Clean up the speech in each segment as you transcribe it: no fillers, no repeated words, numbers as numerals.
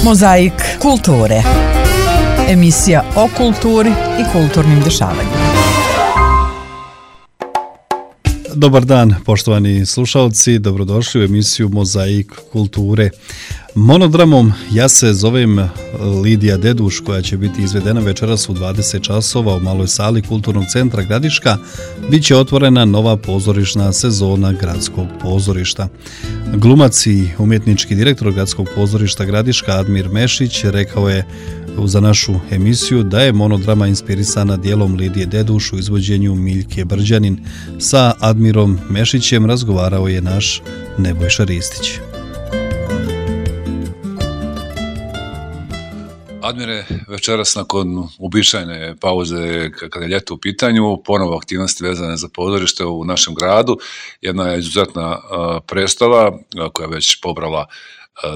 Mozaik kulture. Emisija o kulturi i kulturnim dešavanjima. Dobar dan, poštovani slušalci, dobrodošli u emisiju Mozaik kulture. Monodramom ja se zovem Lidija Deduš, koja će biti izvedena večeras u 20 časova u maloj sali Kulturnog centra Gradiška. Biće otvorena nova pozorišna sezona Gradskog pozorišta. Glumac i umjetnički direktor Gradskog pozorišta Gradiška Admir Mešić rekao je za našu emisiju da je monodrama inspirisana dijelom Lidije Deduš u izvođenju Miljke Brđanin. Sa Admirom Mešićem razgovarao je naš Nebojša Ristić. Admire, večeras nakon uobičajene pauze kada je ljeto u pitanju, ponovo aktivnosti vezane za pozorište u našem gradu. Jedna je izuzetna predstava koja je već pobrala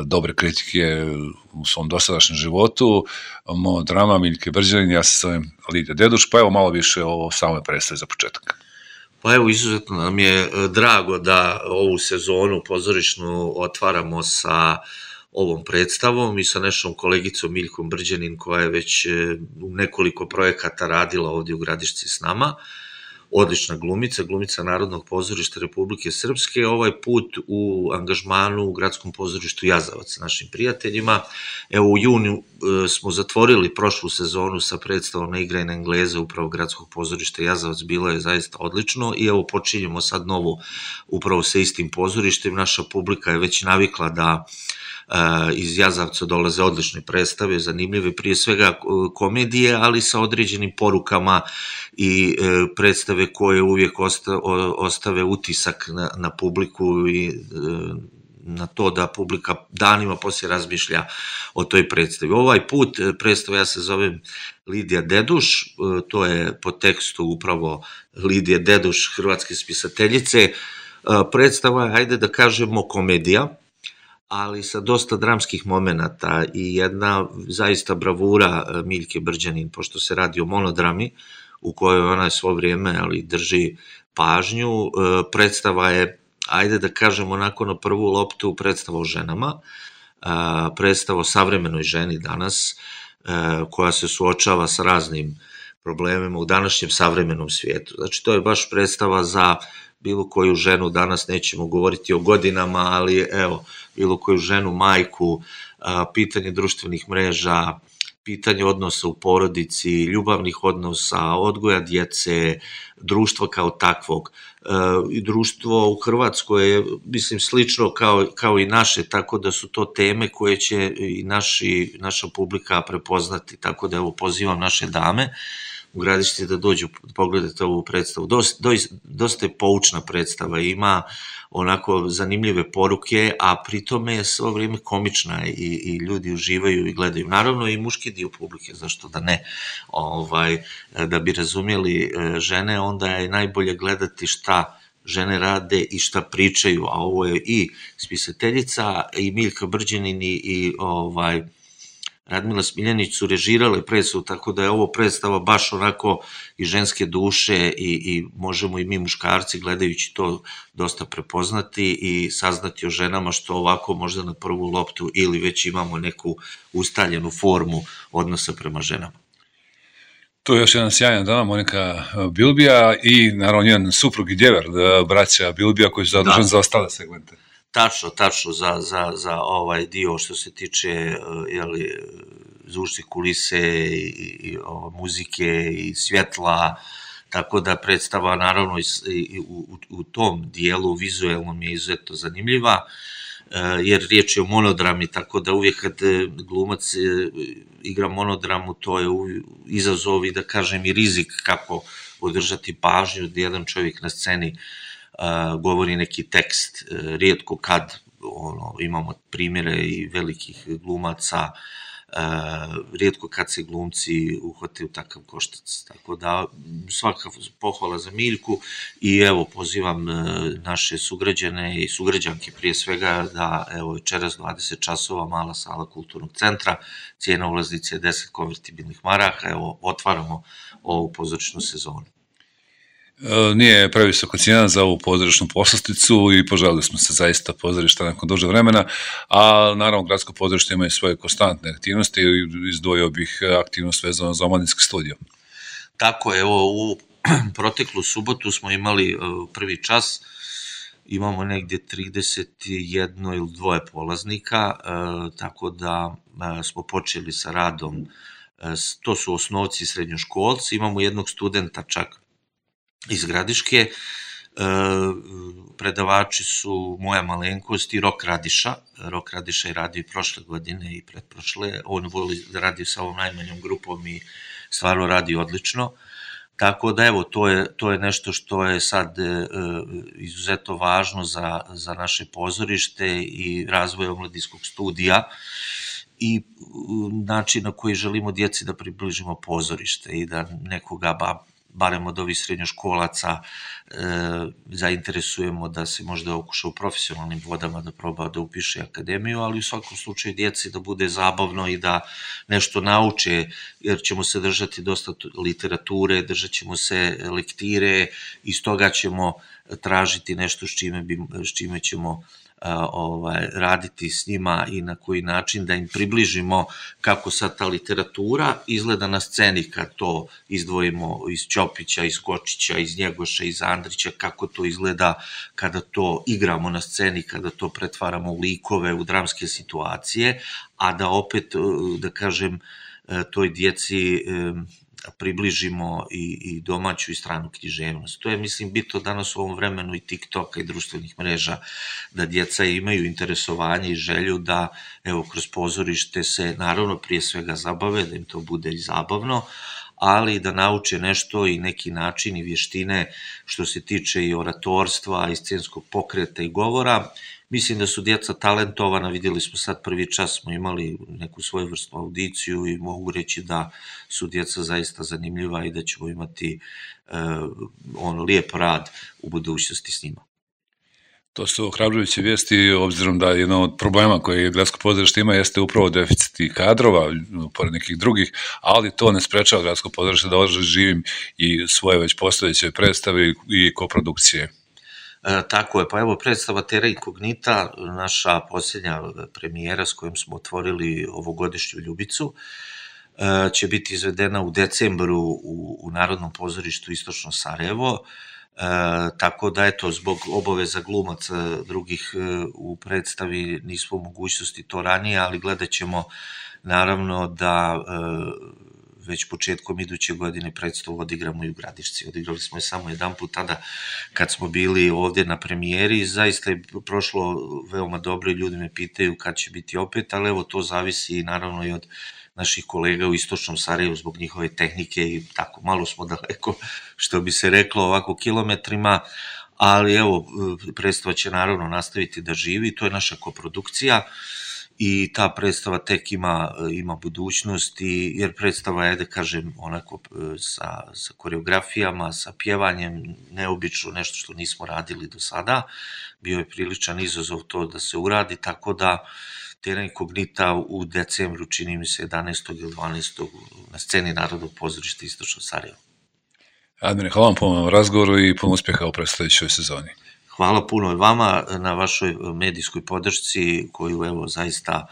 dobre kritike u svom dosadašnjem životu. Monodrama Miljke Brđanin, ja se zovem Lidija Deduš, pa evo malo više o samoj predstavi za početak. Pa evo, izuzetno nam je drago da ovu sezonu pozorišnu otvaramo sa ovom predstavom i sa našom kolegicom Miljkom Brđanin, koja je već u nekoliko projekata radila ovdje u Gradišci s nama. Odlična glumica Narodnog pozorišta Republike Srpske, ovaj put u angažmanu u Gradskom pozorištu Jazavac sa našim prijateljima. Evo, u junu smo zatvorili prošlu sezonu sa predstavom Na igraj na Engleze upravo Gradskog pozorišta Jazavac, bilo je zaista odlično i evo počinjemo sad novu upravo sa istim pozorištem. Naša publika je već navikla da iz Jazavca dolaze odlične predstave, zanimljive, prije svega komedije, ali sa određenim porukama i predstave koje uvijek ostave utisak na publiku i na to da publika danima poslije razmišlja o toj predstavi. Ovaj put predstava ja se zovem Lidija Deduš, to je po tekstu upravo Lidije Deduš, hrvatske spisateljice. Predstava je, ajde da kažemo, komedija, ali sa dosta dramskih momenata i jedna zaista bravura Miljke Brđanin, pošto se radi o monodrami u kojoj ona svo vrijeme drži pažnju. Predstava je, ajde da kažemo, onako na prvu loptu predstava o ženama, predstava o savremenoj ženi danas, koja se suočava sa raznim problemima u današnjem savremenom svijetu. Znači, to je baš predstava za bilo koju ženu, danas nećemo govoriti o godinama, ali evo, bilo koju ženu, majku, pitanje društvenih mreža, pitanje odnosa u porodici, ljubavnih odnosa, odgoja djece, društva kao takvog. I društvo u Hrvatskoj je, mislim, slično kao i naše, tako da su to teme koje će i naša publika prepoznati, tako da evo pozivam naše dame u Gradišci da dođu pogledati ovu predstavu. Dosta je poučna predstava, ima onako zanimljive poruke, a pritome je svo vrijeme komična i ljudi uživaju i gledaju. Naravno i muški dio publike, zašto da ne. Da bi razumjeli žene, onda je najbolje gledati šta žene rade i šta pričaju, a ovo je i spisateljica i Miljka Brđanin i Radmila Smiljanić su režirale predstavu, tako da je ovo predstava baš onako i ženske duše i možemo i mi muškarci gledajući to dosta prepoznati i saznati o ženama, što ovako možda na prvu loptu ili već imamo neku ustaljenu formu odnosa prema ženama. To je još jedan sjajan dama, Monika Bilbija i naravno njen suprug i djever, braća Bilbija, koji su zaduženi za ostale segmente. Tačno, za ovaj dio što se tiče zvučnih kulise i muzike i svjetla, tako da predstava naravno i u tom dijelu vizuelnom je izuzetno zanimljiva, jer riječ je o monodrami, tako da uvijek kad glumac igra monodramu, to je izazov i da kažem i rizik kako održati pažnju da jedan čovjek na sceni govori neki tekst. Rijetko kad imamo primjere i velikih glumaca, rijetko kad se glumci uhvate u takav koštac. Tako da svaka pohvala za Miljku i evo pozivam naše sugrađane i sugrađanke prije svega da evo večeras 20 časova mala sala Kulturnog centra, cijena ulaznice je 10 konvertibilnih maraka, evo otvaramo ovu pozorišnu sezonu. Nije previsoko cijena za ovu pozorišnu poslasticu i požalili smo se zaista pozorišta nakon duže vremena, a naravno gradsko pozorište ima i svoje konstantne aktivnosti i izdvojio bih aktivnost vezano za omladinski studio. Tako je, evo u proteklu subotu smo imali prvi čas, imamo negdje 31 ili 2 polaznika, tako da smo počeli sa radom, to su osnovci i srednjoškolci, imamo jednog studenta čak iz Gradiške, predavači su moja malenkost i Rok Radiša. Rok Radiša je radio i prošle godine i pretprošle, on voli da radi sa ovom najmanjom grupom i stvarno radi odlično. Tako da evo, to je nešto što je sad izuzetno važno za naše pozorište i razvoj omladinskog studija i način na koji želimo djeci da približimo pozorište i da nekoga barem od ovih srednjoškolaca zainteresujemo da se možda okuša u profesionalnim vodama, da proba da upiše akademiju, ali u svakom slučaju djeci da bude zabavno i da nešto nauče, jer ćemo se držati dosta literature, držat ćemo se lektire i stoga ćemo tražiti nešto s čime ćemo raditi s njima i na koji način da im približimo kako sad ta literatura izgleda na sceni kad to izdvojimo iz Ćopića, iz Kočića, iz Njegoša, iz Andrića, kako to izgleda kada to igramo na sceni, kada to pretvaramo u likove, u dramske situacije, a da opet, da kažem, toj djeci približimo i domaću i stranu književnost. To je, mislim, bitno danas u ovom vremenu i TikToka i društvenih mreža, da djeca imaju interesovanje i želju da, evo, kroz pozorište se, naravno, prije svega zabave, da im to bude i zabavno, ali da nauče nešto i neki način i vještine što se tiče i oratorstva, i scenskog pokreta i govora. Mislim da su djeca talentovana, vidjeli smo sad prvi čas, smo imali neku svojevrsnu audiciju i mogu reći da su djeca zaista zanimljiva i da ćemo imati lijep rad u budućnosti s njima. To su ohrabrujuće vijesti, obzirom da jedan od problema koje gradsko pozorište ima jeste upravo deficit kadrova, pored nekih drugih, ali to ne sprečava gradsko pozorište da živim i svoje već postojeće predstave i koprodukcije. Tako je, pa evo predstava Terra Incognita, naša posljednja premijera s kojom smo otvorili ovogodišnju Ljubicu, će biti izvedena u decembru u Narodnom pozorištu Istočno Sarajevo, tako da eto, zbog obaveza glumaca drugih u predstavi nismo u mogućnosti to ranije, ali gledat ćemo naravno da već početkom iduće godine predstavu odigramo i u Gradišci. Odigrali smo je samo jedan put tada kad smo bili ovdje na premijeri. Zaista je prošlo veoma dobro i ljudi me pitaju kad će biti opet, ali evo to zavisi naravno i od naših kolega u Istočnom Sarajevu zbog njihove tehnike i tako malo smo daleko, što bi se reklo, ovako kilometrima, ali evo predstava će naravno nastaviti da živi, to je naša koprodukcija. I ta predstava tek ima budućnost, jer predstava je, da kažem, onako sa koreografijama, sa pjevanjem, neobično, nešto što nismo radili do sada. Bio je priličan izazov to da se uradi, tako da Terra Incognita u decembru, čini mi se 11. ili 12. na sceni Narodnog pozorišta Istočno Sarajevo. Admire, hvala vam puno razgovoru i puno uspjeha u predstojećoj sezoni. Hvala puno i vama na vašoj medijskoj podršci koju evo zaista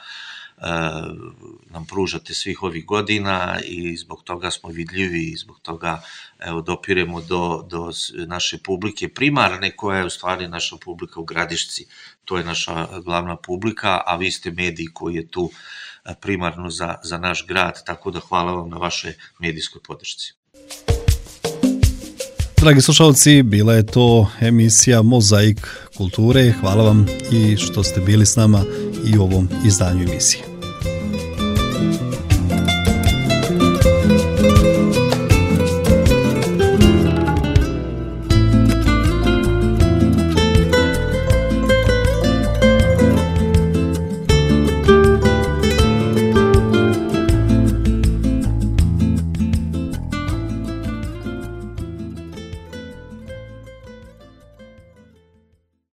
nam pružate svih ovih godina i zbog toga smo vidljivi i zbog toga evo dopiremo do naše publike primarne koja je u stvari naša publika u Gradišci. To je naša glavna publika, a vi ste mediji koji je tu primarno za naš grad, tako da hvala vam na vašoj medijskoj podršci. Dragi slušalci, bila je to emisija Mozaik kulture. Hvala vam i što ste bili s nama i u ovom izdanju emisije.